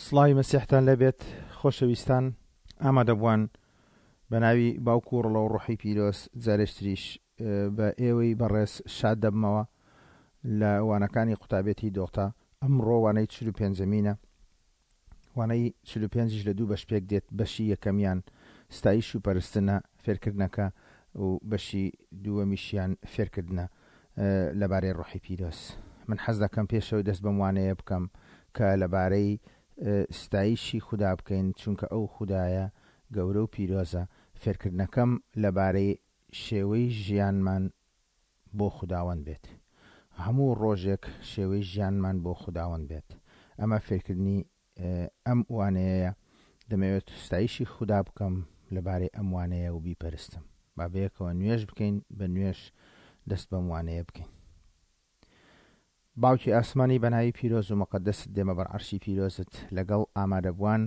سڵاوی مەسیحتان لێبێت خۆشەویستان ئامادەبووان بە ناوی باوک و ڕڵە و ڕۆحی پیرۆز جارێشتریش بە ئێوەی بەڕێز شاد دەبمەوە لە وانەکانی قوتابێتی دۆڵتا ئەمڕۆ وانەی 45مینە وانەی 45یش لە دوو بەش پێک دێت بەشی یەکەمیان ستایش و پەرستنە فێرکردنەکە و بەشی دووەمیشیان فێرکردنە لەبارەی ڕۆحی پیرۆز. من حەز دەکەم پێشەوەی دەست بەم وانەیە بکەم کە لەبارەی ستایشی خودا بکەین چونکە ئەو خودایە گەورە و پیرۆزە، فێرکردنەکەم لەبارەی شێوەی ژیانمان بۆ خوداوەند بێت. هەموو ڕۆژێک شێوەی ژیانمان بۆ خوداوەند بێت. ئەمە فێرکردنی ئەم وانەیەیە، دەمەوێت ستایشی خودا بکەم لەبارەی ئەم وانەیە و بیپەرستم. با بەیەکەوە نوێژ بکەین، بە نوێژ دەست بەم وانەیە بکەین. باوکی ئاسمانی بە ناوی پیرۆز و مقەدەست دێمە بەر عەرشی پیرۆزت لەگەڵ ئامادەبووان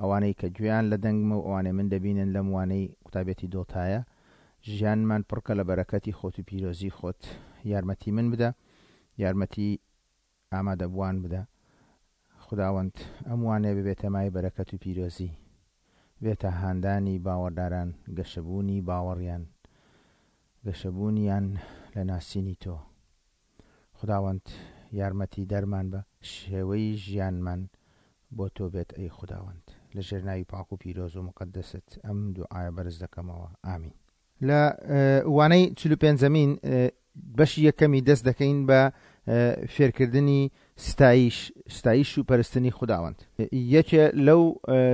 ئەوانەی کە گوێیان لە دەنگمە و ئەوانەی من دەبینن لەم وانەی قوتابێتی دۆتایە ژیانمان پڕکە لە بەرەکەتی خۆت و پیرۆزی خۆت یارمەتی من بدە یارمەتی ئامادەبووان بدە خوداوەند ئەم وانەیە ببێتە مایەی بەرەکەت و پیرۆزی، بێتە هاندانی باوەڕداران گەشەبوونی باوەڕیان، گەشەبوونیان لە ناسینی تۆ. خوداوەند یارمەتی دەرمان بە، شێوەی ژیانمان بۆ تۆ بێت ئەی خوداوەند. لە ژێر ناوی پاک و پیرۆز و موقەدەست ئەم دوعایە بەرز دەکەمەوە. ئامین. لە وانەی 45مین بەشی یەکەمی دەست دەکەین بە فێرکردنی ستایش ستایش و پەرستنی خوداوەند. یەکێ لەو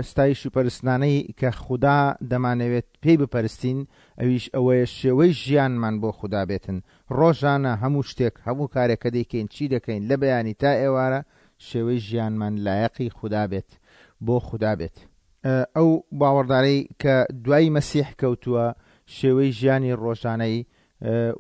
ستایش و پەرستنانەی کە خودا دەمانەوێت پێی بپەرستین ئەویش ئەوەیە شێوەی ژیانمان بۆ خودا بێتن ڕۆژانە هەموو شتێک هەموو کارێک کە دەیکەین چی دەکەین لە بەیانی تا ئێوارە شێوەی ژیانمان لایەقی خودا بێت بۆ خودا بێت. ئەو باوەڕدارەی کە دوای مەسیح کەوتووە، شێوەی ژیانی ڕۆژانەی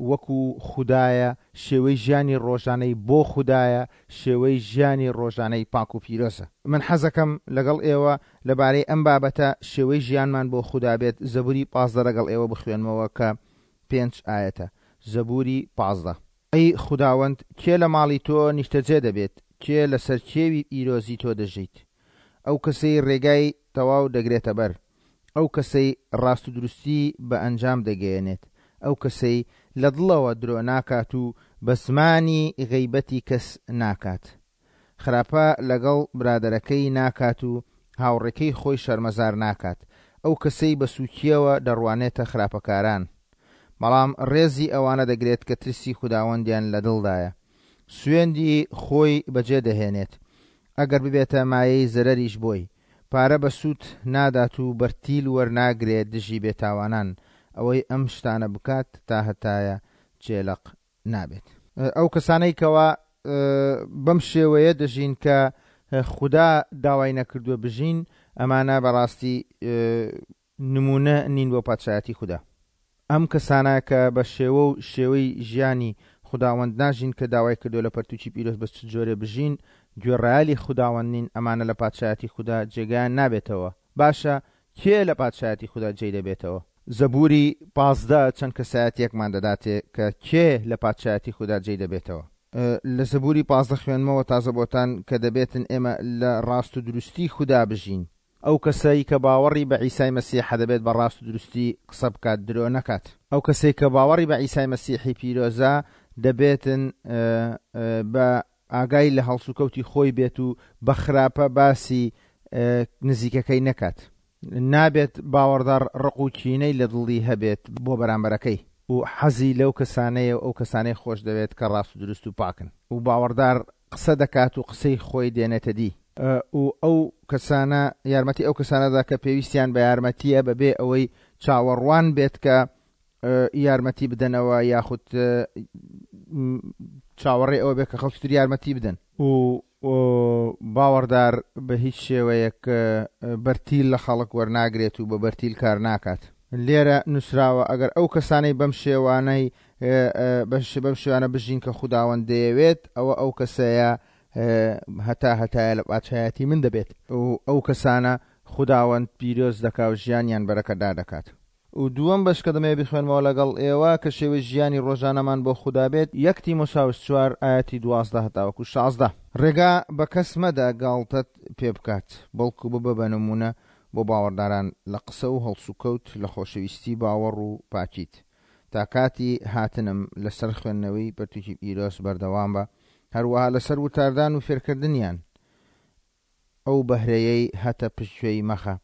وەکو خودایە، شێوەی ژیانی ڕۆژانەی بۆ خودایە، شێوەی ژیانی ڕۆژانەی پاک و پیرۆزە. من حەزەکەم لەگەڵ ئێوە لەبارەی ئەم بابەتە شێوەی ژیانمان بۆ خودا بێت زەبوری 15 لەگەڵ ئێوە بخوێنمەوە کە پێنج ئایەتە. زەبوری 15. ئەی خوداوەند، کێ لە ماڵی تۆ نیشتەجێ دەبێت؟ کێ لەسەر کێوی پیرۆزی تۆ دەژیت؟ ئەو کەسەی ڕێگای تەواو دەگرێتە بەر، ئەو کەسەی ڕاستودروستی بە ئەنجام دەگەیەنێت، ئەو کەسەی لە دڵەوە درۆ ناکات و بە زمانی غەیبەتی کەس ناکات، خراپە لەگەڵ برادەرەکەی ناکات و هاوڕێکەی خۆی شەرمەزار ناکات، ئەو کەسەی بە سووکییەوە دەڕوانێتە خراپەکاران، بەڵام ڕێزی ئەوانە دەگرێت کە ترسی خوداوەندیان لە دڵدایە، سوێندی خۆی بەجێ دەهێنێت، ئەگەر ببێتە مایەی زەرەریش بۆی، پارە بە سوود نادات و بەرتیل وەرناگرێ دژی بێتاوانان، ئەوەی ئەم شتانە بکات تاهەتایە جێلەق نابێت. ئەو کەسانەی کەوا بەم شێوەیە دەژین کە خودا داوای نەکردووە بژین، ئەمانە بەڕاستی نموونە نین بۆ پادشایەتی خودا. ئەم کەسانە کە بە شێوە و شێوەی ژیانی خوداوەند ناژین کە داوای کردووە لە پەرتووکی پیرۆز بە چ جۆرێ بژین، گوێڕایەلی خوداوەند نین، ئەمانە لە پادشایەتی خودا جێگایان نابێتەوە. باشە کێ لە پادشایەتی خودا جێی دەبێتەوە؟ زەبووری 15 چەند کەسایەتییەکمان دەداتێ کە کێ لە پادشایەتی خودا جێی دەبێتەوە. لە زەبووری 15 خوێندمەوە تازە بۆتان کە دەبێتن ئێمە لە ڕاست و دروستی خودا بژین. ئەو کەسەی کە باوەڕی بە عیسای مەسیحە دەبێت بە ڕاست و دروستی قسە بکات درۆ نەکات. ئەو کەسەی کە باوەڕی بە عیسای مەسیحی پیرۆزە دەبێتن بە ئاگای لە هەڵسوکەوتی خۆی بێت و بە خراپە باسی نزیکەکەی نەکات. نابێت باوەڕدار ڕق و کینەی لە دڵی هەبێت بۆ بەرامبەرەکەی و حەزی لەو کەسانەیە و ئەو کەسانەی خۆش دەوێت کە ڕاست و دروست و پاکن و باوەڕدار قسە دەکات و قسەی خۆی دێنێتە دی. و ئەو کەسانە یارمەتی ئەو کەسانە دا کە پێویستیان بە یارمەتییە بەبێ ئەوەی چاوەڕوان بێت کە یارمەتی بدەنەوە یاخود چاوەڕێ ئەوە بێت کە خەڵکی تر یارمەتی بدەن. و باوەڕدار بە هیچ شێوەیەک بەرتیل لە خەڵک وەرناگرێت و بە بەرتیل کار ناکات. لێرە نووسراوە ئەگەر ئەو کەسانەی بەم شێوانەی بەم شێوانە بژین کە خوداوەند دەیەوێت ئەوە ئەو کەسەیە هەتا هەتایە لە پادشایەتی من دەبێت و ئەو کەسانە خوداوەند پیرۆز دەکا و ژیانیان بەرەکەتدار دەکات. و دووەم بەش کە دەمەوێت بیخوێنمەوە لەگەڵ ئێوە کە شێوەی ژیانی ڕۆژانەمان بۆ خودا بێت، یەک تیمۆساوس چوار ئایەتی 12 هەتاوەکو 16. ڕێگا بە کەس مەدە گاڵتەت پێ بکات، بەڵکو ببە بە نموونە بۆ باوەڕداران لە قسە و هەڵسوکەوت، لە خۆشەویستی باوەڕ و پاکیت. تا کاتی هاتنم لەسەر خوێندنەوەی پەرتوکی پیرۆز بەردەوام بە، هەروەها لەسەر وتاردان و فێرکردنیان. ئەو بەهرەیەی هەتە پشتگوێی مەخە،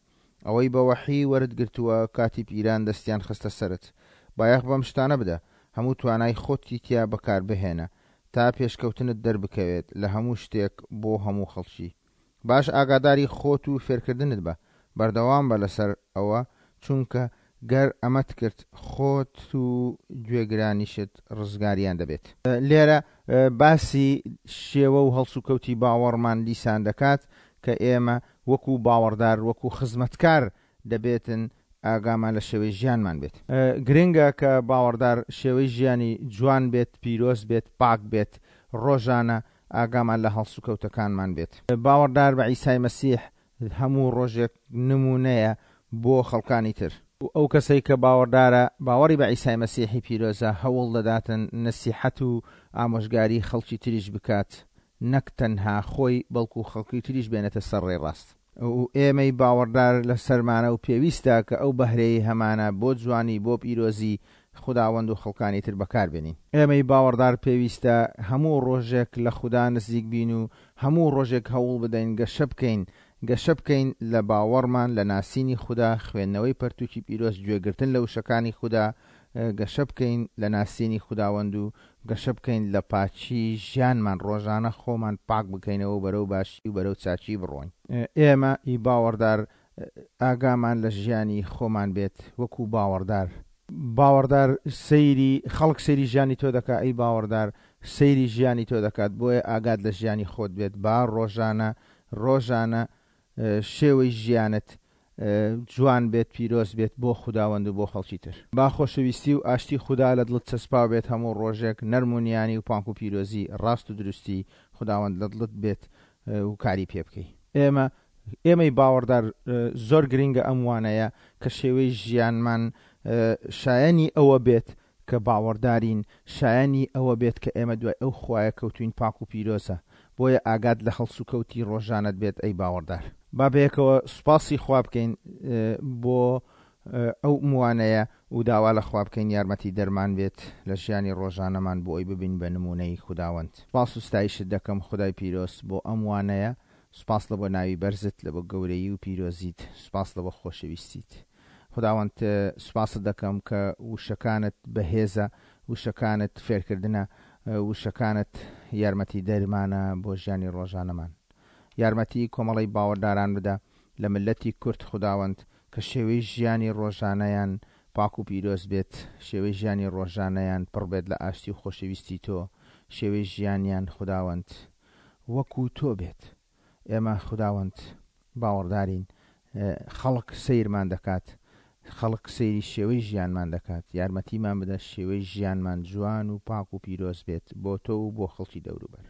ئەوەی بە وەحی وەرت گرتووە کاتی پیران دەستیان خستە سەرت. بایەخ بەم شتانە بدە، هەموو توانای خۆتی تیا بەکار بهێنە، تا پێشکەوتنت دەربکەوێت لە هەموو شتێک بۆ هەموو خەڵکی. باش ئاگاداری خۆت و فێرکردنت بە، بەردەوام بە لەسەر ئەوە، چونکە گەر ئەمەت کرد خۆت و گوێگرانیشت ڕزگاریان دەبێت. لێرە باسی شێوە و هەڵسوکەوتی باوەڕمان دیسان دەکات کە ئێمە وەکو باوەڕدار وەکو خزمەتکار دەبێتن ئاگامان لە شێوەی ژیانمان بێت. گرنگە کە باوەڕدار شێوەی ژیانی جوان بێت، پیرۆز بێت، پاک بێت، ڕۆژانە ئاگامان لە هەڵسوکەوتەکانمان بێت. باوەڕدار بە عیسای مەسیح هەموو ڕۆژێک نموونەیە بۆ خەڵکانی تر. ئەو کەسەی کە باوەڕدارە، باوەڕی بە عیسای مەسیحی پیرۆزە، هەوڵ دەداتن نەسیحەت و ئامۆژگاری خەڵکی تریش بکات، نەک تەنها خۆی بەڵکو خەڵکی تریش بێنێتە سەر ڕێی ڕاست. و ئێمەی باوەڕدار لەسەرمانە و پێویستە کە ئەو بەهرەیەی هەمانە بۆ جوانی، بۆ پیرۆزی خوداوەند و خەڵکانی تر بەکار بێنین. ئێمەی باوەڕدار پێویستە هەموو ڕۆژێک لە خودا نزیک بین و هەموو ڕۆژێک هەوڵ بدەین گەشە بکەین، گەشە بکەین لە باوەڕمان، لە ناسینی خودا، خوێندنەوەی پەرتوکی پیرۆز، گوێگرتن لە وشەکانی خودا، گەشە بکەین لە ناسینی خوداوەند و گەشە بکەین لە پاکی ژیانمان، ڕۆژانە خۆمان پاک بکەینەوە و بەرەو باشی و بەرەو چاکی بڕۆین. ئێمە ی باوەڕدار ئاگامان لە ژیانی خۆمان بێت وەکو باوەڕدار. باوەڕدار سەیری خەڵک سەیری ژیانی تۆ دەکا ئەی باوەڕدار سەیری ژیانی تۆ دەکات بۆیە ئاگات لە ژیانی خۆت بێت با ڕۆژانە ڕۆژانە شێوەی ژیانت جوان بێت پیرۆز بێت بۆ خوداوەند و بۆ خەڵکی تر. با خۆشەویستی و ئاشتی خودا لە دڵت چەسپاو بێت هەموو ڕۆژێک نەرم و نیانی و پانک و پیرۆزی ڕاست و دروستی خوداوەند لە دڵت بێت و کاری پێ بکەی. ئێمە ئێمەی باوەڕدار زۆر گرینگە ئەم وانەیە کە شێوەی ژیانمان شایەنی ئەوە بێت کە باوەڕدارین، شایەنی ئەوە بێت کە ئێمە دوای ئەو خوایە کەوتوین پاک و پیرۆزە، بۆیە ئاگات لە هەڵسوکەوتی ڕۆژانەت بێت ئەی باوەڕدار. با بەیەکەوە سوپاسی خوا بکەین بۆ ئەو وانەیە و داوا لە خوا بکەین یارمەتی دەرمان بێت لە ژیانی ڕۆژانەمان بۆ ئەوی ببین بە نموونەی خوداوەند. سوپاس و ستایشت دەکەم خودای پیرۆز بۆ ئەم وانەیە، سوپاس لە بۆ ناوی بەرزت، لە بۆ گەورەیی و پیرۆزیت، سوپاس لە بۆ خۆشەویستیت. خوداوەند سوپاست دەکەم کە وشەکانت بەهێزە، وشەکانت فێرکردنە، وشەکانت یارمەتی دەرمانە بۆ ژیانی ڕۆژانەمان. یارمەتی کۆمەڵەی باوەڕداران بدە لە مللەتی کورد خوداوەند کە شێوەی ژیانی ڕۆژانەیان پاک و پیرۆز بێت، شێوەی ژیانی ڕۆژانەیان پڕ بێت لە ئاشتی و خۆشەویستی تۆ، شێوەی ژیانیان خوداوەند وەکو تۆ بێت. ئێمە خوداوەند باوەڕدارین، خەڵک سەیرمان دەکات، خەڵک سەیری شێوەی ژیانمان دەکات، یارمەتیمان بدە شێوەی ژیانمان جوان و پاک و پیرۆز بێت بۆ تۆ و بۆ خەڵکی دەوروبەر.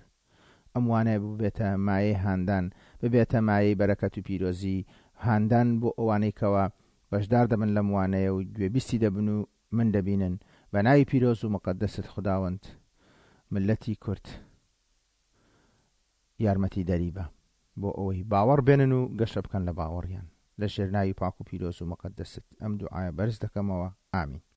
ئەم وانەیە ببێتە مایەی هاندان، ببێتە مایەی بەرەکەت و پیرۆزی، هاندان بۆ ئەوانەی کەوا بەشدار دەبن لەم وانەیە و گوێبیستی دەبن و من دەبینن، بە ناوی پیرۆز و موقەدەست خوداوەند مللەتی کورد یارمەتی دەری بە بۆ ئەوەی باوەڕ بێنن و گەشە بکەن لە باوەڕیان، لە ژێر ناوی پاک و پیرۆز و موقەدەست ئەم دوعایە بەرز دەکەمەوە، ئامین.